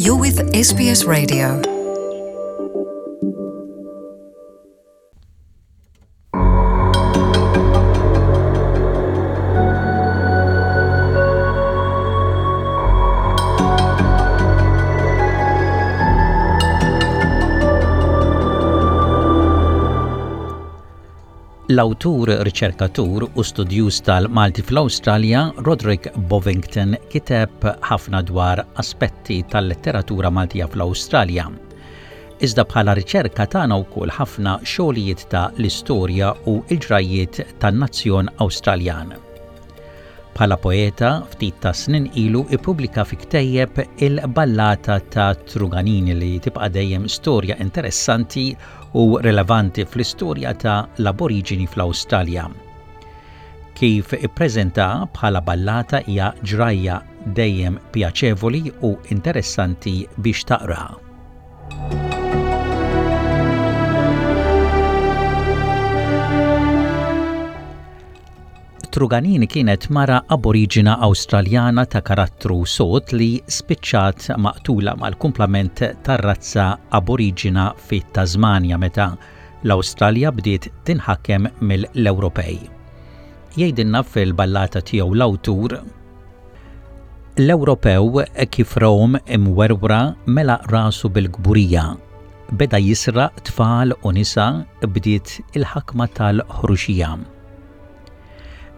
You're with SBS Radio. L-awtur, riċerkatur u studjuż tal-Malti fl-Awstralja, Roderick Bovington, kiteb ħafna dwar aspetti tal-letteratura Maltija fl-Awstralja. Iżda bħala riċerka tana wkoll ħafna xogħlijiet ta' l-istorja u l-ġrajjiet tan-nazzjon Awstraljan. Bħala poeta, ftit ta' snin ilu ippubblika fi ktejjeb il-Ballata ta' Truganini li tibqa' dejjem storja interessanti u rilevanti fl-istorja ta' l-Aboriġini fl-Awstralja. Kif ippreżenta bħala ballata hija ġrajja dejjem pjaċevoli u interessanti biex taqraha. Truganini kienet mara Aboriġina Awstraljana ta' karattru sod li spiċċat maqtula mal-kumplament tar-razza Aboriġina fit-Tasmanja meta l-Awstralja bdiet tinħakem mill-Ewropej. Jgħidilna fil-ballata tiegħu l-awtur L-Ewropew kif rawhom imwerwra mela rasu bil-kburija. Beda jisraq tfal u nisa bdiet il-ħakma tal-ħruxija.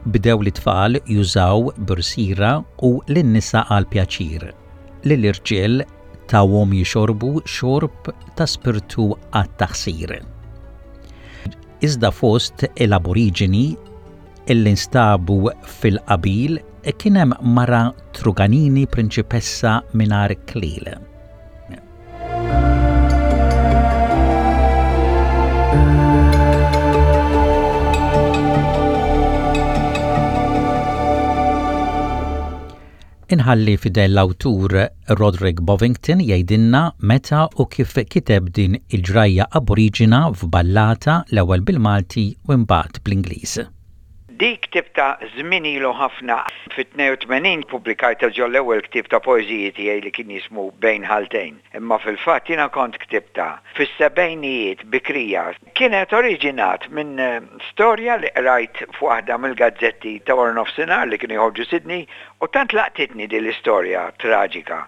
Bdew lit-tfal jużaw b'rsira u lin-nisa għall-pjaċir. Lill-irġiel tawhom jixorbu xorb ta' spirtu għat-taħsir. Iżda fost l-Aboriġini illi nstabu fil-qabil kien hemm mara Truganini prinċipessa mingħajr klil. Inħalli f'idejn l-awtur Roderick Bovington jgħidilna meta u kif kiteb din il-ġrajja aboriġina f'ballata l-ewwel bil-Malti u imbagħad bl-Ingliż. Dik ktibtha żmien ilu ħafna. Fit-82 ppubblikajtha ġo l-ewwel ktieb ta' poeżiji tiegħi li kien jismu Bejn Ħaltejn. Imma fil-fatt jiena kont ktibtha fis-sebgħinijiet bikrija. Kienet oriġinat minn storja li qrajt f'waħda mill-gazzetti ta' wara nofsinhar li kienu joħorġu Sydney u tant laqtitni din l-istorja traġika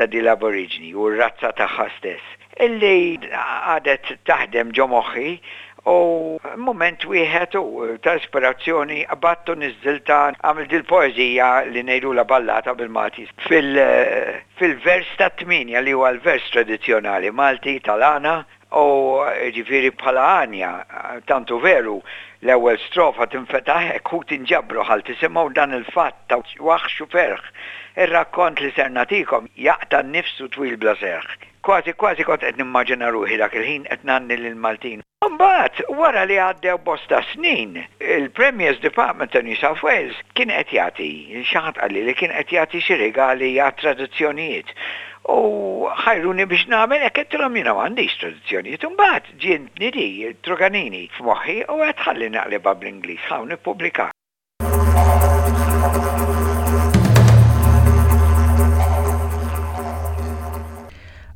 ta' din l-Aboriġni u r-razza tagħha stess illi qagħdet taħdem ġo moħħi u mument wieħed u ta' ispirazzjoni qbadt u niżżiltha għamilt dil-poeżija li ngħidulha ballata bil-Malti fil-vers tat-tmienja li huwa l-vers tradizzjonali Malti tal-għana u jiġifieri bħala għanja tant hu veru l-ewwel strofa tinfetaħ hekk ħuti nġabru ħal tisimgħu dan il-fatt ta' waħx u ferħ ir-rakkont li ser nagħtikom jaqta' n-nifs u twil bla serħ. Kważi kważi kont qed nimmaġina ruħi dak il-ħin qed ngħanni lill-Maltin. Imbagħad, wara li għaddew bosta snin, il-Premier's Department ta' New South Wales kien qed jagħti, xi ħadd qalli li kien qed jagħti xi rigali għat-traduzzjonijiet. U ħajruni biex nagħmel hekk, għedtilhom jiena m'għandix traduzzjonijiet. Imbagħad ġietni di, Truganini, f'moħħi u għedt ħalli naqlibha bl-Ingliż, ħa u nippubblikaha.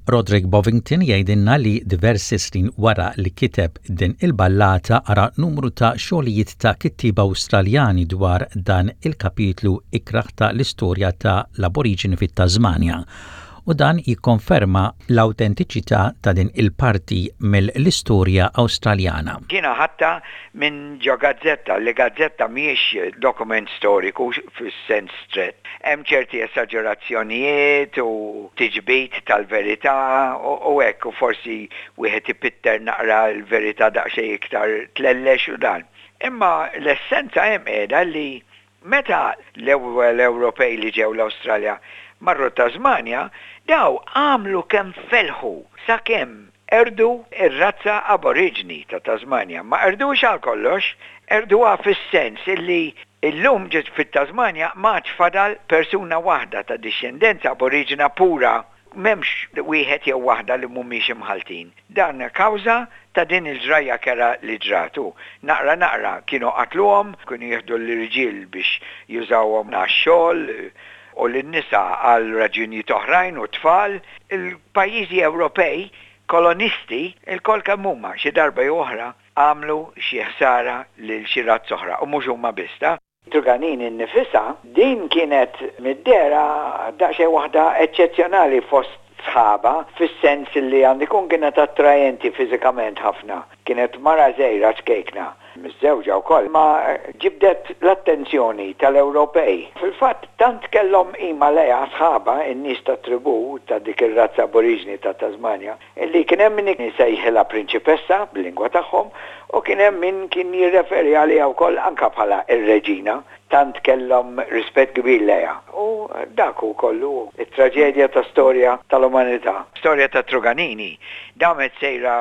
Roderick Bovington jgħidilna li diversi snin wara li kiteb din il-ballata qara numru ta' xogħlijiet ta' kittieba Awstraljani dwar dan il-kapitlu ikrah ta' l-istorja ta' l-Aboriġini fit-Tasmanja u dan jikkonferma l-awtentiċità ta' din il-parti mill-istorja Awstraljana. Jiena ħadtha minn ġo gazzetta, li gazzetta mhijiex dokument storiku fis-sens strett. Hemm ċerti esaġerazzjonijiet u tiġbid tal-verità u hekk u forsi wieħed ipitter naqra l-verità daqsxejn iktar tlellex u dan. Imma l-essenza hemm qiegħda li Meta l-ewwel Ewropej li ġew l-Awstralja marru t-Tasmanja, daw għamlu kemm felħu sakemm qerdu r-razza Aboriġni ta' Tasmanja. Ma qerduhiex għal kollox, qerduha fis-sens illi llum fit-Tasmanja m'għadx fadal persuna waħda ta' dixxendenza Aboriġina pura. M'hemmx wieħed jew waħda li mhumiex imħalltin. Dan kawża ta' din il-ġrajja kerha li ġrat u, naqra naqra, kienu qatluhom, kienu jieħdu l-irġiel biex jużawhom għax-xogħol. u lin-nisa għal raġunijiet oħrajn u t-tfal. Il-pajjiżi Ewropej kolonisti lkoll kemm huma xi darba jew oħra għamlu xi ħsara lil xi razza oħra u mhux huma biss ta'. Truganini nnifisha, din kienet mid-dehra daqsxejn waħda eċċezzjonali fost sħabha fis-sens li għandu jkun kienet attrajenti fiżikament ħafna. Kienet mara żgħira ċkejkna, miżżewġa wkoll, imma ġibdet l-attenzjoni tal-Ewropej. Fil-fatt tant kellhom qima lejha sħabha, in-nies tat-tribù ta' dik ir-razza aboriġini ta' Tasmanja, Illi kien hemm min isejħilha prinċipessa bil-lingwa tagħhom u kien hemm min kien jirreferi għaliha wkoll anke bħala r-reġina, tant kellhom rispett kbir lejha. U dak hu kollu, it-traġedja ta' storja tal-umanità. Storja ta' Truganini damet sejra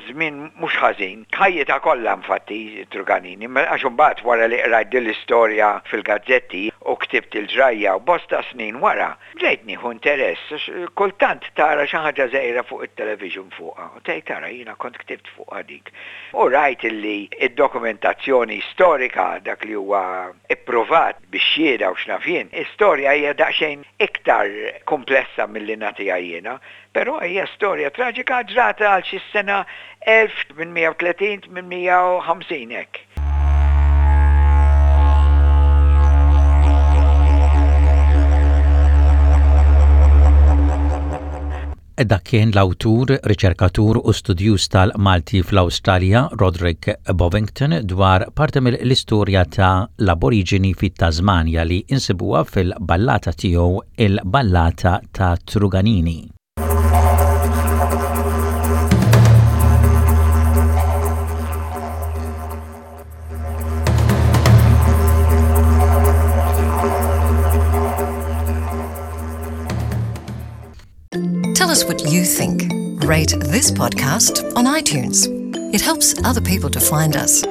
żmien mhux ħażin, ħajjitha kollha infatti Truganini, għax imbagħad wara li qrajt din l-istorja fil-gazzetti u ktibt il-ġrajja u bosta snin wara, Bdejt nieħu interess għax kultant tara xi ħaġa żgħira fuq it-television fuqha u tgħid ara jiena kont ktibt fuqha dik. U rajt illi d-dokumentazzjoni storika, dak li huwa ippruvat bix-xhieda u x'naf jien, istorja hija daqsxejn iktar kumplessa milli nagħtiha jiena, però hija storja traġika ġrat għal xi sena 1830, 850 hekk. Dak kien l-awtur, riċerkatur u studjuż tal-Malti fl-Awstralja, Roderick Bovington, dwar parti mill-istorja ta' l-Aboriġini fit-Tasmanja li insibuha fil-ballata tiegħu Il-Ballata ta' Truganini. Tell us what you think. Rate this podcast on iTunes. It helps other people to find us.